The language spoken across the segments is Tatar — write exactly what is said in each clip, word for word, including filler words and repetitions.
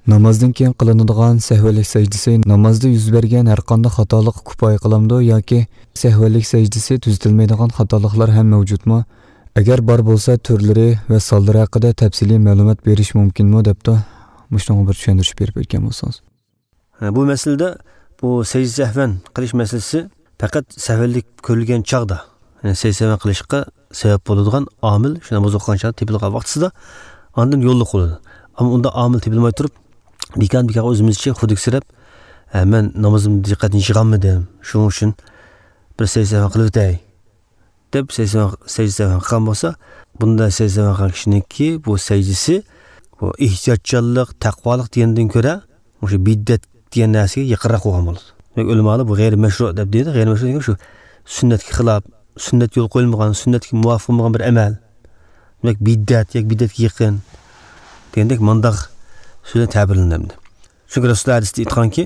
Namozdan keyin qilinadigan sahvlik sajdasi namozda yuz bergan har qanday xatolik kifoya qilamdi yoki sahvlik sajdasi tuzatilmaydigan xatoliklar ham mavjudmi? Agar bor bo'lsa, turlari va sonlari haqida tafsiliy ma'lumot berish mumkinmi debdi. Shunga bir tushuntirish berib o'tgan bo'lsangiz. Bu masalada bu sajda sahvan qilish masalasi faqat sahvlik ko'rilgan chog'da, ya'ni sajda sahvan qilishga sabab bo'ladigan omil shu namoz o'qigan chog'da tepilgan vaqtida ondan yo'lliq bo'ladi. Ammo unda omil tepilmay turib bekor bekor o'zimizcha xudiksirab, men namozimni diqqatini yig'olmadim, shuning uchun bir sajda sahvan qilib o'tay deb sajda sahvan qilgan bo'lsa, bunda sajda sahvan qilgan kishiniki bu sajdasi bu ehtiyotchanlik, taqvolik degandan ko'ra o'sha biddat degan narsaga yaqinroq bo'lgan bo'ladi. Demak, ulamolar bu g'ayri mashru deb deydi. G'ayri mashru degan shu sunnatga xilof, sunnat yo'l qo'yilmagan, sunnatga muvofiq bo'lmagan bir amal. Demak, biddat yoki biddatga yaqin degandek mandaq so'zdan ta'birlanadi. Chunki Rasululloh hadisda aytganki,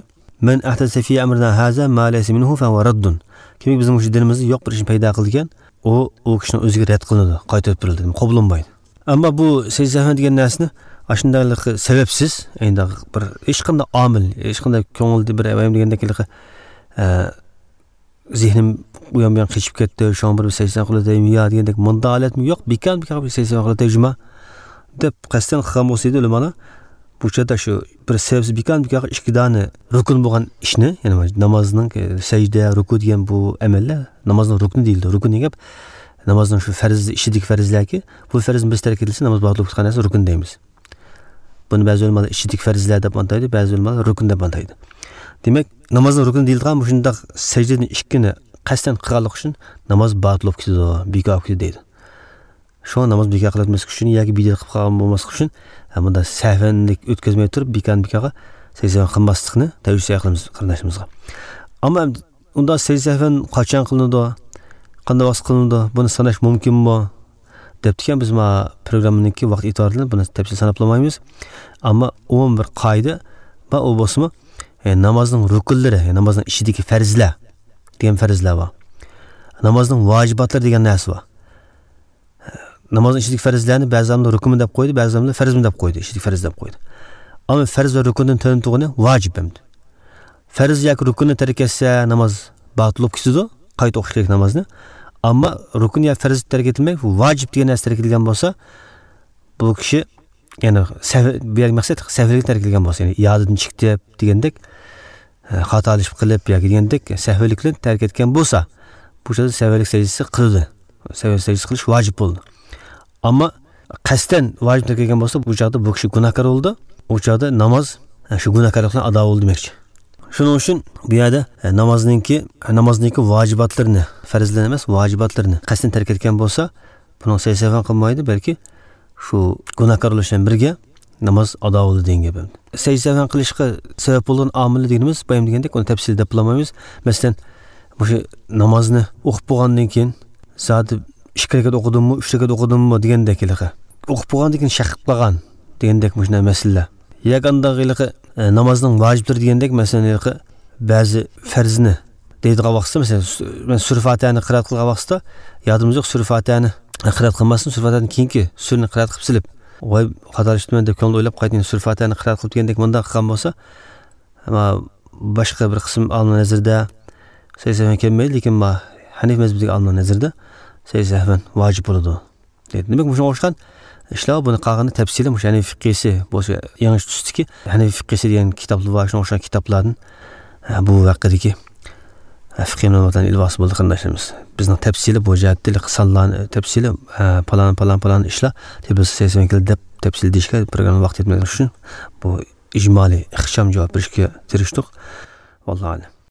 "Men ahdasa fi amrina haza ma laysa minhu fa huwa raddun." Kimiki bizning shu dinimizda yo'q bir ishni paydo qilgan, u u kishining o'ziga rad qilinadi, qaytarib beriladi, qabul bo'lmaydi. Ammo bu sajda sahvan degan narsani ashundaylik sababsiz, endi bir hech qanday omil, hech qanday ko'ngilda bir avayim degandek zehnim u yon bu yon qechib ketdi, shu bir sajda qiladi ya degandek bunda holatmi yo'q, bekor bekor bir sajda qiladi juma deb qasddan qilgan bo'lsa edi ulamolar. Bu chada shu bir sababsiz bekor bekor ikki dona rukun bo'lgan ishni, ya'ni namozning sajda, ruku degan bu amallar namozning rukni deyiladi. Rukun degan gap namozning shu farz ichidagi farzlarki, bu farzni biz tark etilsa namoz botil bo'lib ketgan narsa rukun deymiz. Buni ba'zi ulamolar ichidagi farzlar deb ataydi, ba'zi ulamolar rukun deb ataydi. Demak, namozning rukni deyilgan bu shundoq sajdaning ikkini qasddan qilganlik uchun namoz botil bo'lib ketadi, bekor bo'lib ketadi deydi. Shu namoz bekor qilinmaslik uchun yoki bidat qilib qolgan bo'lmaslik uchun bunda sahvanlik o'tkazmay turib bekor bekorga sajda qilmaslikni tavsiya qilamiz qarindoshlarimizga. Ammo unda sajda sahvan qachon qilinadi, qanday vaqt qilinadi, buni sanash mumkinmi deb degan biz ma programmaniki vaqt e'tiborida buni tafsil sanab olmaymiz. Ammo umuman bir qoida va u bo'lsa, e, namozning rukunlari, e, namozning ichidagi farzlar degan farzlar bor. Namozning vojibotlari degan narsa bor. Namozning ichidagi farzlarni ba'zi rukun deb qo'ydi, ba'zi farz deb qo'ydi, ichidagi farz deb qo'ydi. Ammo farz va rukundan tug'ini vojib hamdi. Farz yoki rukunni tark etsa namoz botil bo'lib ketadi, qayta o'qish kerak namozni. Ammo rukun yo farz tark etilmay, vojib degan narsa tark etilgan bo'lsa, bu kishi, ya'ni bu yerga maqsad sahvlik tark etilgan bo'lsa, ya'ni yodidan chiqdi degandek, xatolashib qilib yoki degandek sahvlikni tark etgan bo'lsa, bu chog'da sahvlik sajdasi qildi. Sahvlik sajdasi qilish vojib bo'ldi. Ammo qasddan vojib tark etgan bo'lsa, bu chog'da bu kishi gunohkor bo'ldi. U chog'da namoz shu gunohkorlikdan ado bo'ldi demoqchi. Shuning uchun bu yerda namozningki, namozningki vojibotlarini, farzlarni emas, vojibotlarini qasddan tark etgan bo'lsa, buni sajda qilmaydi, balki shu gunohkor bo'lish bilan birga namoz ado bo'ldi degan gap. Sajda qilishga sabab bo'lgan omil deganimiz, boyam degandek, uni tafsil deb bilamaymiz. Masalan, o'sha namozni o'qib bo'lgandan keyin zoti ikki rakat o'qidimmi, uch rakat o'qidimmi degandek iliqi. O'qib bo'lgandan keyin shaqib qolgan degandek shunday masalalar. Yoki andag'iliqi namozning vojiblari degandek, masalan, iliqi ba'zi farzni deydigan vaqtda, masalan, men sura Fatihani qiroat qilgan vaqtda yodimiz yo'q, sura Fatihani qiroat qilmasdan sura Fatihadan keyingi surani qiroat qilib silib, voy xatolashdim deb ko'ngil o'ylab qaytgan sura Fatihani qiroat qilib degandek bunday qilgan bo'lsa, ammo boshqa bir qism olimlar nazarida sajda sahvan kelmaydi, lekin Hanif mazhabidagi olimlar nazarida sajda sahvan vojib bo'ladi deydi. Demak, shunga o'xshagan ishlar buni qolganda tafsili o'sha Hanif fiqhisi bo'lsa, yangi tusdiki Hanif fiqhisi degan kitoblar bor, shunga o'xshagan kitoblardan bu vaqtdagi fiqh ma'lumotlarni ilvosi bo'ldi qarindoshlarimiz. Bizning tafsili bu jihatda sonlarni tafsili falon falon falon ishlar tepasi sakson keldi deb tafsil deyishga programma vaqt yetmagani uchun bu ijmoliy ixcham javob berishga tirishdik. Vallohu a'lam.